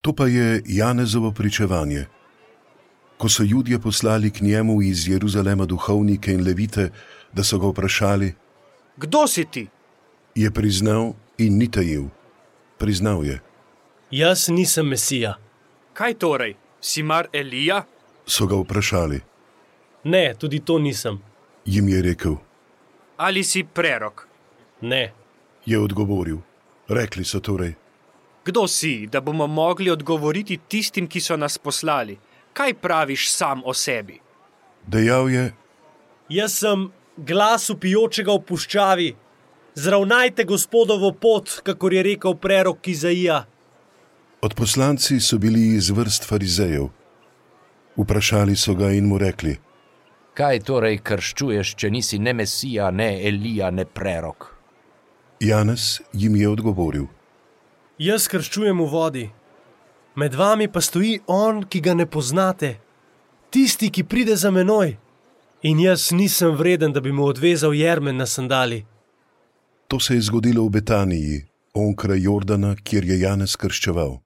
To pa je Janezovo pričevanje. Ko so Judje poslali k njemu iz Jeruzalema duhovnike in levite, da so ga vprašali: Kdo si ti? Je priznal in ni tajil. Priznal je. Jaz nisem Mesija. Kaj torej? Si mar Elija? So ga vprašali. Ne, tudi to nisem. Jim je rekel. Ali si prerok? Ne. Je odgovoril. Rekli so torej. Kdo si, da bomo mogli odgovoriti tistim, ki so nas poslali? Kaj praviš sam o sebi? Dejal je: Jaz sem glas vpijočega v puščavi. Zravnajte Gospodovo pot, kakor je rekel prerok Izaija. Odposlanci so bili iz vrst farizejev. Vprašali so ga in mu rekli: Kaj torej krščuješ, če nisi ne Mesija, ne Elija, ne prerok? Janez jim je odgovoril. Jaz krščujem v vodi. Med vami pa stoji on, ki ga ne poznate. Tisti, ki pride za menoj. In jaz nisem vreden, da bi mu odvezal jermen na sandali. To se je zgodilo v Betaniji, onkraj Jordana, kjer je Janez krščeval.